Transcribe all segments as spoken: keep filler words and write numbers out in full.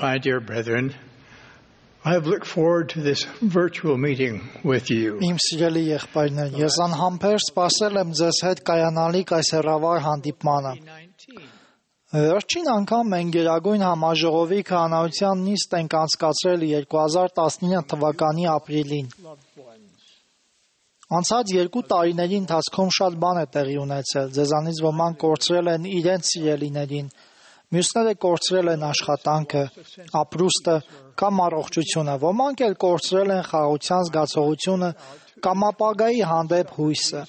My dear brethren, I have looked forward to this virtual meeting with you. Իմ սիրելի եղբայրներ, ես անհամբեր սպասել եմ ձեզ հետ կայանալիք այս հեռավար հանդիպմանը։ Վերջին անգամ մենք Գերագույն Համաժողովի քահանայության նիստ ենք անցկացրել երկու հազար տասնինը թվականի ապրիլին։ Անցած երկու տարիների ընթացքում շատ բան է տեղի ունեցել։ Ձեզանից ոմանք կորցրել են իրենց սիրելիներին, մյուսները կորցրել են աշխատանքը, ապրուստը կամ առողջությունը, ոմանք էլ կորցրել են խաղաղության զգացողությունը կամ ապագայի հանդեպ հույսը։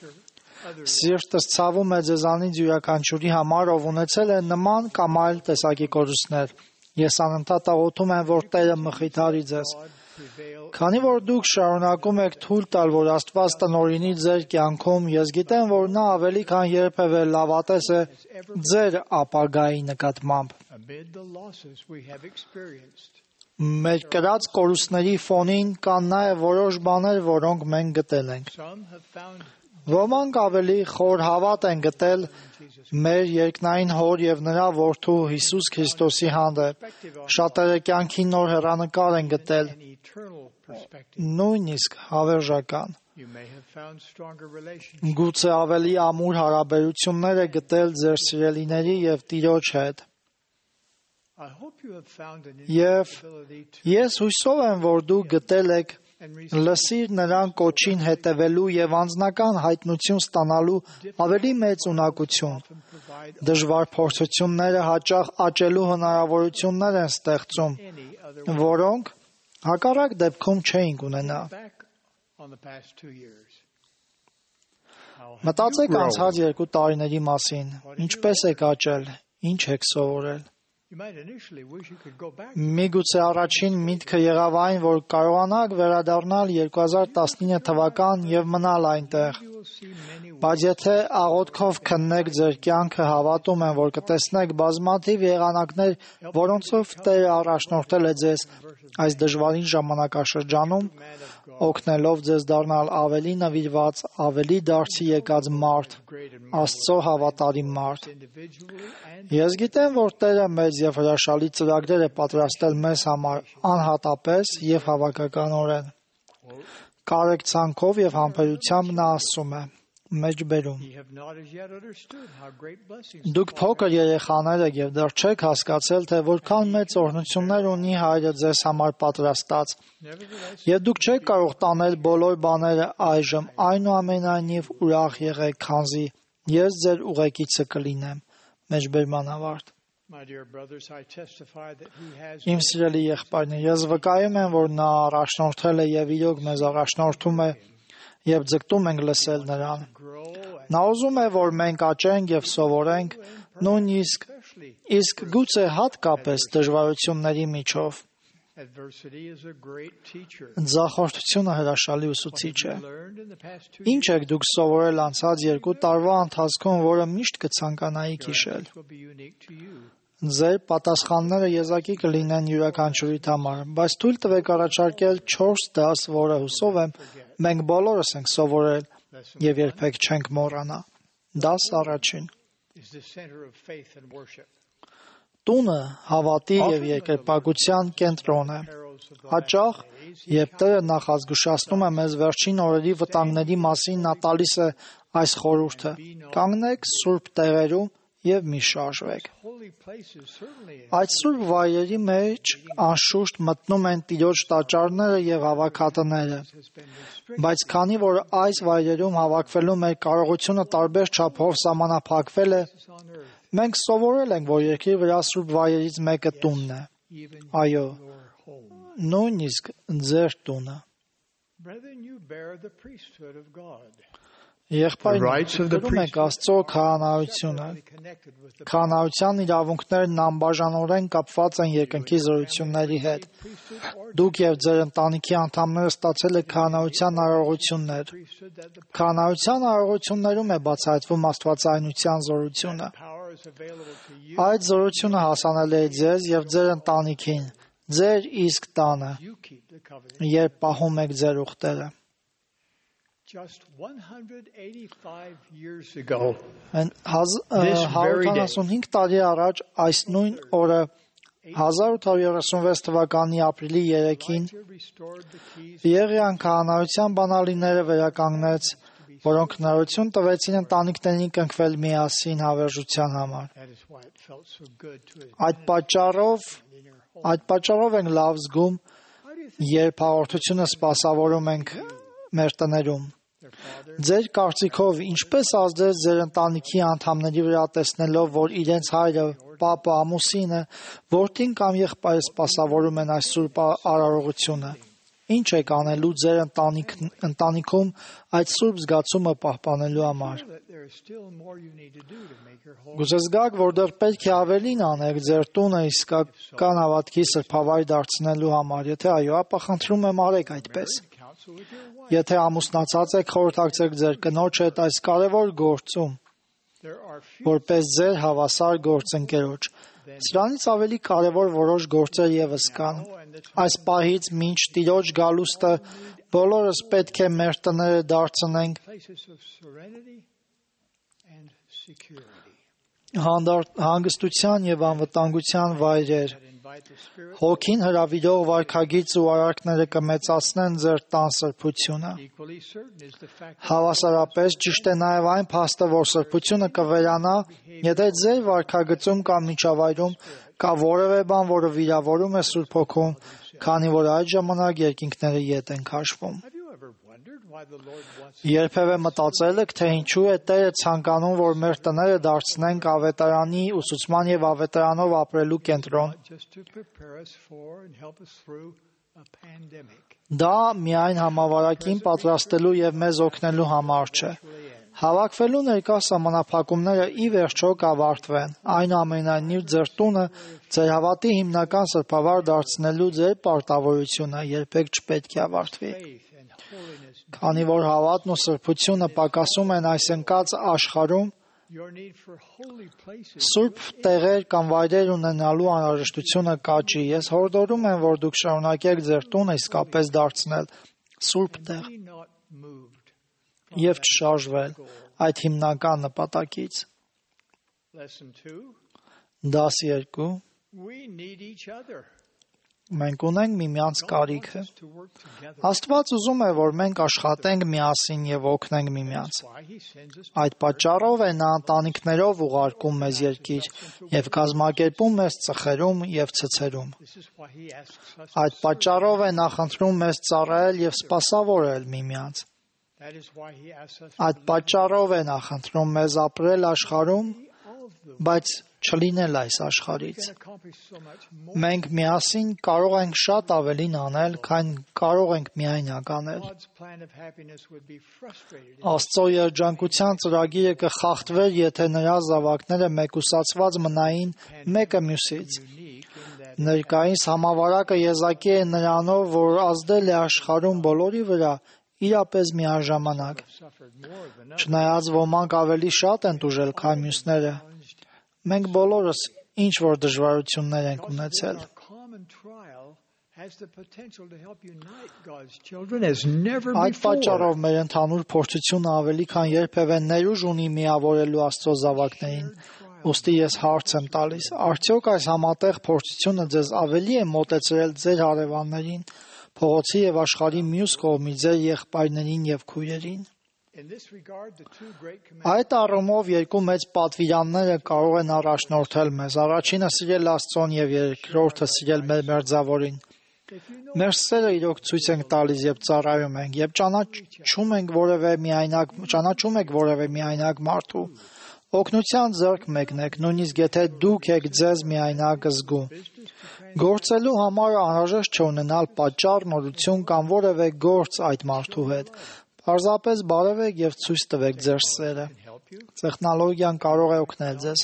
Սիրտս ցավում է ձեզանից յուրաքանչյուրի համար, ով ունեցել է նման կամ այլ տեսակի կորուստներ։ Ես անընդհատ աղոթում եմ, որ Տերը մխիթարի ձեզ։ Քանի որ դուք շարունակում եք թույլ տալ, որ Աստված տնօրինի ձեր կյանքում, ես գիտեմ, որ նա ավելի քան երբևէ լավատես է ձեր ապագայի նկատմամբ։ Մեր կրած կորուստների ֆոնին կան նաև որոշ բաներ, որոնք մենք գտել ենք։ Ոմանք ավելի խոր հավատ են գտել մեր երկնային Հոր և նրա Որդու Հիսուս Քրիստոսի հանդեպ։ Շատերը կյանքի նոր հեռանկար են գտել, նույնիսկ հավերժական։ Գուցե ավելի ամուր հարաբերություններ է գտել ձեր սիրելիների և Տիրոջ հետ։ Եվ ես հույսով եմ, որ դուք գտել եք լսիր նրան կոչին հետևելու և անձնական հայտնություն ստանալու ավելի մեծ ունակություն։ Դժվար փորձությունները հաճախ աճելու հնարավորություններ են ստեղծում, որոնք հակառակ դեպքում չէինք ունենա։ Մտածեք անցած երկու տարիների մասին, ինչպես եք աճել, ինչ եք սովորել։ Միգուցե առաջին միտքը եղավ այն, որ կարողանաք վերադառնալ երկու հազար տասնինը թվական և մնալ այնտեղ։ Բայց եթե աղոթքով քննեք ձեր կյանքը, հավատում եմ, որ կտեսնեք բազմաթիվ եղանակներ, որոնցով Տերը առաջնորդել է ձեզ այս դժվարին ժամանակաշրջանում, օգնելով ձեզ դառնալ ավելի նվիրված, ավելի դարձի եկած մարդ, Աստծո հավատարիմ մարդ։ Ես գիտեմ, որ Տերը մեծ և հրաշալի ծրագրեր է պատրաստել մեզ համար անհատապես և հավաքականորեն։ Կարեկցանքով և համբերությամբ նա ասում է. մեջբերում։ Դուք փոքր երեխաներ եք և դեռ չեք հասկացել, թե որքան մեծ օրհնություններ ունի Հայրը ձեզ համար պատրաստած, և դուք չեք կարող տանել բոլոր բաները այժմ, այնուամենայնիվ ուրախ եղեք, քանզի ես ձեր ուղեկիցը կլինեմ։ Մեջբերման ավարտ։ Իմ սիրելի եղբայրներ, ես վկայում եմ, որ նա առաջնորդել է և իրոք մեզ առաջնորդում է և ձգտում ենք լսել նրան։ Նա ուզում է, որ մենք աճենք և սովորենք, նույնիսկ իսկ գուցե հատկապես դժվարությունների միջով։ Ձախորդությունը հրաշալի ուսուցիչ է։ Ինչ եք դուք սովորել անցած երկու տարվա ընթացքում, որը միշտ կցանկանայիք հիշել։ Ձեր պատասխանները եզակի կլինեն յուրաքանչյուրիդ համար, բայց թույլ տվեք առաջարկել չորս դաս, որը հուսով եմ մենք բոլորս ենք սովորել և երբեք չենք մոռանա։ Դաս առաջին։ Տունը հավատի և երկրպագության կենտրոն է։ Հաճախ, երբ Տերը նախազգուշացնում է մեզ վերջին օրերի վտանգների մասին, նա տալիս է այս խորհուրդը. կանգնեք սուրբ տեղերում և մի շարժվեք։ Այդ սուրբ վայրերի մեջ անշուշտ մտնում են Տիրոջ տաճարները և հավաքատները, բայց քանի որ այս վայրերում հավաքվելու մեր կարողությունը տարբեր չափով սահմանափակվել է, մենք սովորել ենք, որ երկրի վրա սուրբ վայրերից մեկը տունն է։ Այո, նույնիսկ ձեր տունը։ Եղբայրներ, կրում եք Աստծո քահանայությունը։ Քահանայության իրավունքներն անբաժանորեն կապված են երկնքի զորությունների հետ։ Դուք և ձեր ընտանիքի անդամները ստացել եք քահանայության արարողություններ։ Քահանայության արարողություններում է բացահայտվում աստվածայնության զորությունը։ Այդ զորությունը հասանելի է ձեզ և ձեր ընտանիքին, ձեր իսկ տանը, երբ պահում եք ձեր ուխտերը։ հարյուր ութանասունհինգ տարի առաջ այս նույն օրը հազար ութ հարյուր երեսունվեց թվականի ապրիլի երեքին Եղիան քահանայության բանալիները վերականգնեց, որոնք հնարավորություն տվեցին ընտանիքներին կնքվել միասին հավերժության համար։ Այդ պատճառով, այդ պատճառով ենք լավ զգում, երբ հաղորդությունը սպասավորում ենք մեր տներում։ Ձեր կարծիքով ինչպես ազդեց ձեր ընտանիքի անդամների վրա տեսնելով, որ իրենց հայրը, պապը, ամուսինը, որդին կամ եղբայրը սպասավորում են այս սուրբ արարողությունը։ Ինչ եք անելու ձեր ընտանիք, ընտանիքում այդ սուրբ զգացումը պահպանելու համար։ Գուցե զգաք, որ դեռ պետք է ավելին անեք ձեր տունը իսկական հավատքի սրբավայր դարձնելու համար։ Եթե այո, ապա խնդրում եմ արեք այդպես։ Եթե ամուսնացած եք, խորհրդակցեք ձեր կնոջ հետ այս կարևոր գործում, որպես ձեր հավասար գործընկերոջ։ Սրանից ավելի կարևոր որոշ գործեր ևս կան։ Այս պահից մինչ Տիրոջ գալուստը բոլորս պետք է մեր տները դարձնենք հանգստության և անվտանգության վայրեր։ Հոգին հրավիրող վարքագիծ ու արարքները կմեծացնեն ձեր տան սրբությունը։ Հավասարապես ճիշտ է նաև այն փաստը, որ սրբությունը կվերանա, եթե ձեր վարքագծում կամ միջավայրում կա որևէ բան, որը վիրավորում է Սուրբ Հոգուն, քանի որ այդ ժամանակ երկինքները ետ են քաշվում։ Երբևէ մտածել եք, թե ինչու է Տերը ցանկանում, որ մեր տները դարձնենք ավետարանի ուսուցման և ավետարանով ապրելու կենտրոն։ Դա միայն համավարակին պատրաստելու և մեզ օգնելու համար չէ։ Հավաքվելու ներկա սահմանափակումները ի վերջո կավարտվեն։ Այնուամենայնիվ, ձեր տունը ձեր հավատի հիմնական սրբավայր դարձնելու ձեր պարտավորությունը երբեք չպետք է ավարտվի։ Քանի որ հավատն ու սրբությունը պակասում են այս ընկած աշխարհում, սուրբ տեղեր կամ վայրեր ունենալու անհրաժեշտությունը կաճի։ Ես հորդորում եմ, որ դուք շարունակեք ձեր տունը իսկապես դարձնել սուրբ տեղ և չշարժվել այդ հիմնական նպատակից։ Դաս երկու. Մենք ունենք միմյանց կարիքը։ Աստված ուզում է, որ մենք աշխատենք միասին և օգնենք միմյանց։ Այդ պատճառով է նա ընտանիքներով ուղարկում մեզ երկիր և կազմակերպում մեզ ծխերում և ցցերում։ Այդ պատճառով է նա խնդրում մեզ ծառայել և սպասավորել միմյանց։ Այդ պատճառով է նա խնդրում մեզ ապրել աշխարհում, բայց չլինել այս աշխարհից։ Մենք միասին կարող ենք շատ ավելին անել, քան կարող ենք միայնակ անել։ Աստծո երջանկության ծրագիրը կխախտվեր, եթե նրա զավակները մեկուսացված մնային մեկը մյուսից։ Ներկայիս համավարակը եզակի է նրանով, որ ազդել է աշխարհում բոլորի վրա իրապես միաժամանակ։ Չնայած ոմանք ավելի շատ են տուժել, քան մյուսները, մենք բոլորս ինչ-որ դժվարություններ ենք ունեցել։ Այդ պատճառով մեր ընդհանուր փորձությունը ավելի քան երբևէ ներուժ ունի միավորելու Աստծո զավակներին։ Ուստի ես հարց եմ տալիս. արդյոք այս համատեղ փորձությունը ձեզ ավելի է մոտեցրել ձեր հարևաններին, փողոցի և աշխարհի մյուս կողմի ձեր եղբայրներին և քույրերին։ Այդ առումով երկու մեծ պատվիրանները կարող են առաջնորդել մեզ։ Առաջինը սիրել Աստծուն և երկրորդը սիրել մեր մերձավորին։ Մեր սերը իրոք ցույց ենք տալիս, երբ ծառայում ենք, երբ ճանաչում ենք որևէ միայնակ, ճանաչում եք որևէ միայնակ մարդու, օգնության ձեռք մեկնեք, նույնիսկ եթե դուք եք ձեզ միայնակ զգում։ Գործելու համար անհրաժեշտ չէ ունենալ պատճառ, նորություն կամ որևէ գործ այդ մարդու հետ։ Պարզապես բարևեք և ցույց տվեք ձեր սերը։ Տեխնոլոգիան կարող է օգնել ձեզ։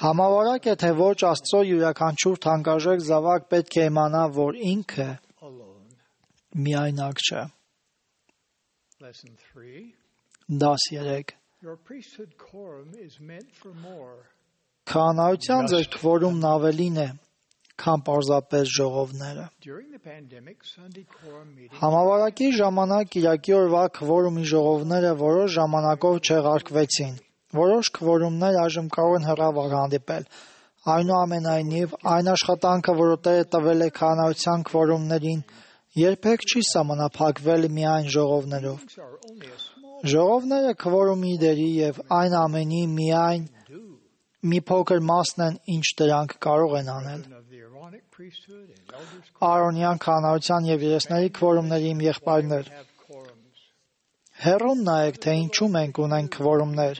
Համավարակ է, թե ոչ, Աստծո յուրաքանչյուր թանկարժեք զավակ պետք է իմանա, որ ինքը միայնակ չէ։ Դաս երեք. Քահանայության ձեր քվորումն ավելին է, քան պարզապես ժողովները։ Համավարակի ժամանակ կիրակի օրվա քվորումի ժողովները որոշ ժամանակով չեղարկվեցին։ Որոշ քվորումներ այժմ կարող են հեռավար հանդիպել։ Այնուամենայնիվ, այն աշխատանքը, որը Տերը տվել է քահանայության քվորումներին, երբեք չի սահմանափակվել միայն ժողովներով։ Ժողովները քվորումի դերի և այն ամենի միայն մի փոքր մասն են, ինչ դրանք կարող են անել։ Արոնյան քահանայության և երեսների քվորումների իմ եղբայրներ, հեռուն նայեք, թե ինչու մենք ունենք քվորումներ,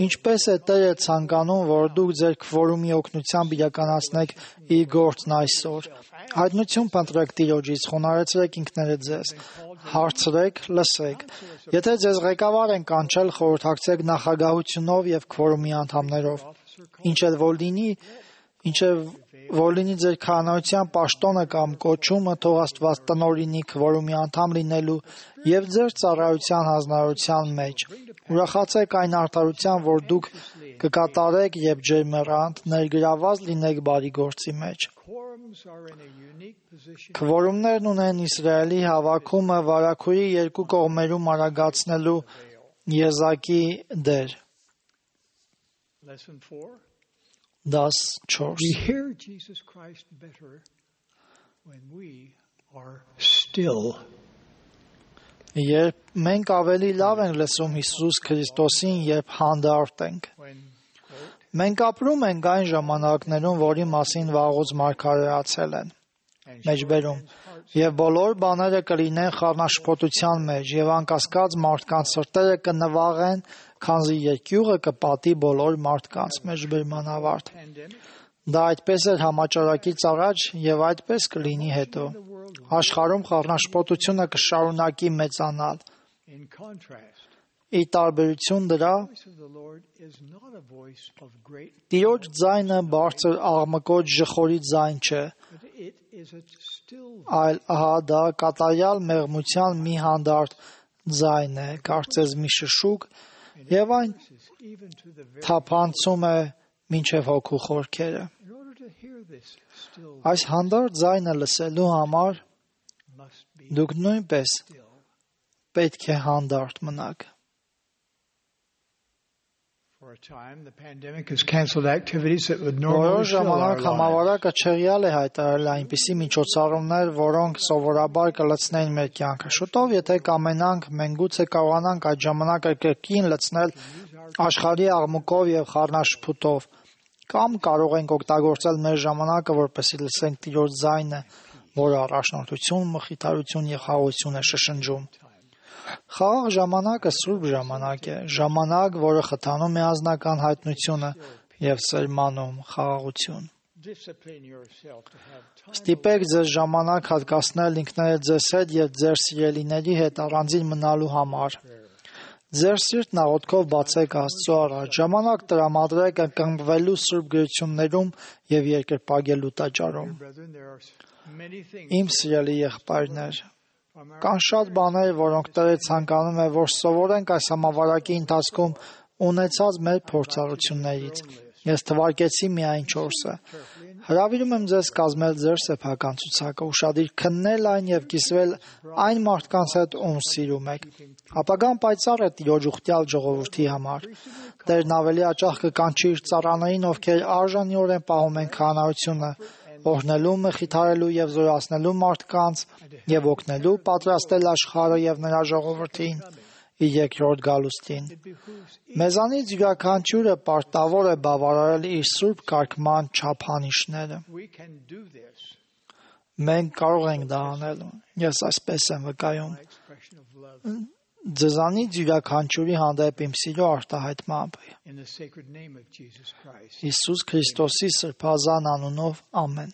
ինչպես է Տերը ցանկանում, որ դուք ձեր քվորումի օգնությամբ իրականացնեք իր գործն այսօր։ Հայտնություն փնտրեք Տիրոջից, խոնարհեցրեք ինքներդ ձեզ, հարցրեք, լսեք։ Եթե ձեզ ղեկավար են կանչել, խորհրդակցեք նախագահությունով և քվորումի անդամներով։ Ինչ էլ որ լինի, ինչ էլ որ լինի ձեր քահանայության պաշտոնը կամ կոչումը, թող Աստված տնօրինի քվորումի անդամ լինելու և ձեր ծառայության հանձնարարության մեջ։ Ուրախացեք այն արդարության, որ դուք կկատարեք և ջերմեռանդ, ներգրավված լինեք բարի գործի մեջ։ Քվորումներն ունեն Իսրայելի հավաքումը վարագույրի երկու կողմերում արագացնելու եզակի դեր։ Դաս չորս We hear Jesus Christ better when we are still. Երբ մենք ավելի լավ ենք լսում Հիսուս Քրիստոսին, երբ հանդարտ ենք։ Մենք ապրում ենք այն ժամանակներում, որի մասին վաղուց մարգարեացել են։ Մեջբերում եւ բոլոր բաները կլինեն խառնաշփոթության մեջ, եւ անկասկած մարդկանց սրտերը կնվաղեն, քանզի երկյուղը կպատի բոլոր մարդկանց։ Մեջբերման ավարտ։ Դա այդպես էր համաճարակից առաջ եւ այդպես կլինի հետո։ Աշխարհում խառնաշփոթությունը կշարունակի մեծանալ։ Ի տարբերություն դրա, Տիրոջ ձայնը բարձր աղմկոտ ժխորի ձայն չէ, այլ ահա դա կատարյալ մեղմության մի հանդարտ ձայն է, կարծես մի շշուկ, եւ այն թափանցում է մինչև հոգու խորքերը։ Այս հանդարտ ձայնը լսելու համար դուք նույնպես պետք է հանդարտ մնաք։ Որոշ ժամանակ համավարակը չեղյալ է հայտարարել այնպիսի միջոցառումներ, որոնք սովորաբար կլցնեն մեր կյանքը։ Շուտով, եթե կամենանք, մենք գուցե կարողանանք այդ ժամանակը կրկին լցնել աշխարհի աղմուկով եւ խառնաշփուտով, կամ կարող ենք օգտագործել մեր ժամանակը, որպեսզի լսենք Տիրոջ ձայնը, որը առաջնորդություն, մխիթարություն եւ խաղաղություն է շշնջում։ Խաղաղ ժամանակը սուրբ ժամանակ է, ժամանակ, որը խթանում է անձնական հայտնությունը եւ սերմանում խաղաղություն։ Ստիպեք ձեզ ժամանակ հատկացնել ինքներդ ձեզ հետ եւ ձեր սիրելիների հետ առանձին մնալու համար։ Ձեր սիրտն աղոթքով բացեք Աստծո առաջ, ժամանակ տրամադրեք ընկղմվելու սուրբ գրություններում եւ երկրպագելու տաճարում։ Իմ սիրելի եղբայրներ, կան շատ բաներ, որոնք Տերը ցանկանում է, որ սովորենք այս համավարակի ընթացքում ունեցած մեր փորձառություններից։ Ես թվարկեցի միայն չորսը։ Հրավիրում եմ ձեզ կազմել ձեր սեփական ցուցակը, ուշադիր քննել այն եւ կիսվել այն մարդկանց հետ, ում սիրում եք։ Ապագան պայծառ է Տիրոջ ուխտյալ ժողովրդի համար։ Տերն ավելի հաճախ կկանչի իր ծառաներին, ովքեր արժանիորեն պահում են քահանայությունը, օրհնելու, մխիթարելու եւ զորացնելու մարդկանց եւ օգնելու պատրաստել աշխարհը եւ նրա ժողովրդին իր երկրորդ գալուստին։ Մեզանից յուրաքանչյուրը պարտավոր է բավարարել իր սուրբ կարգման չափանիշները։ Մենք կարող ենք դա անել։ Ես այսպես եմ վկայում։ Ձեզանից յուրաքանչյուրի հանդեպ իմ սիրո արտահայտմամբ։ Հիսուս Քրիստոսի սրբազան անունով, ամեն։